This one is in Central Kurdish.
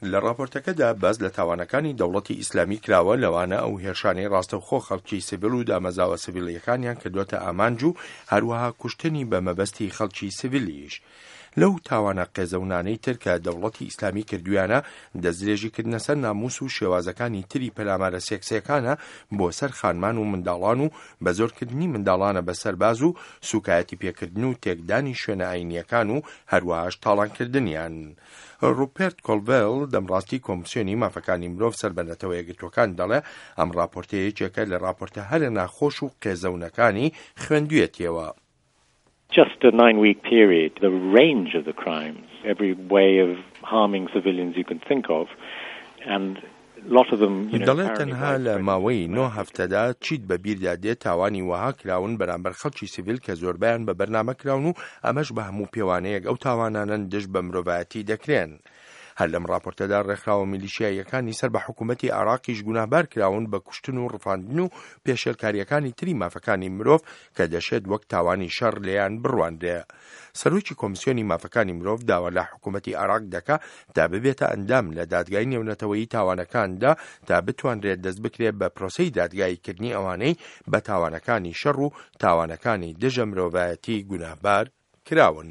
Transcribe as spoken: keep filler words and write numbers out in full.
لە ڕاپۆرتەکەدا باس لە تاوانەکانی دەوڵەتی ئیسلامی کراوە، لەوانە ئەو هێرشانەی ڕاستەوخۆ خەڵکی سیڤیل و دامەزراوە سیڤیلیەکانیان کردووەتە ئامانج و هەروەها کوشتنی بە مەبەستی خەڵکی سیڤیلیش. لەو تاوانە قێزەونانەی تر کە دەوڵەتی ئیسلامی کردویانە، دەستدرێژیکردنە سەر ناموس و شێوازەکانی تری پەلامارە سێکسیەکانە بۆ سەر خانمان و منداڵان و بەزۆرکردنی منداڵانە بە سەرباز و سوکایەتی پێکردن و تێکدانی شوێنە ئاینیەکان و هەروەهاش تاڵانکردنیان. ڕوپێرت کۆلڤێل، دەمڕاستی کۆمسیۆنی مافەکانی مرۆڤ سەر بە نەتەوە یەکگرتووەکان، دەڵێ ئەم راپۆرتە یەکێکە لە راپۆرتە هەرە ناخۆش و قێزەونەکانی خوێندویەتیەوە. Just a nine-week period, the range of the crimes, every way of harming civilians you can think of, and دەڵێ تەنها لە ماوەی نۆ هەفتەدا چیت بە بیردا دێت تاوانی وەها کراون بەرامبەر خەڵکی سیڤیل کە زۆربیان بە بەرنامە کراون و ئەمەش بە هەموو پێوانەیەک ئەو تاوانانەن دژ بە مرۆڤایەتی دەکرێن. هەر لەم راپۆرتەدا ڕێکخراوە میلیشیاییەکانی سەر بە حکوومەتی عێراقیش گوناهبار کراون بە کوشتن و ڕفاندن و پێشێلکاریەکانی تری مافەکانی مرۆڤ کە دەشێت وەک تاوانی شەڕ لێیان بڕوانرێ. سەرۆکی کۆمسیۆنی مافەکانی مرۆڤ داوا لە حکوومەتی عێراق دەکا تا ببێتە ئەندام لە دادگای نێونەتەوەیی تاوانەکاندا تا بتوانرێت دەست بکرێت بە پرۆسەی دادگاییکردنی ئەوانەی بە تاوانەکانی شەڕ و تاوانەکانی دژە مرۆڤایەتی گوناهبار کراون.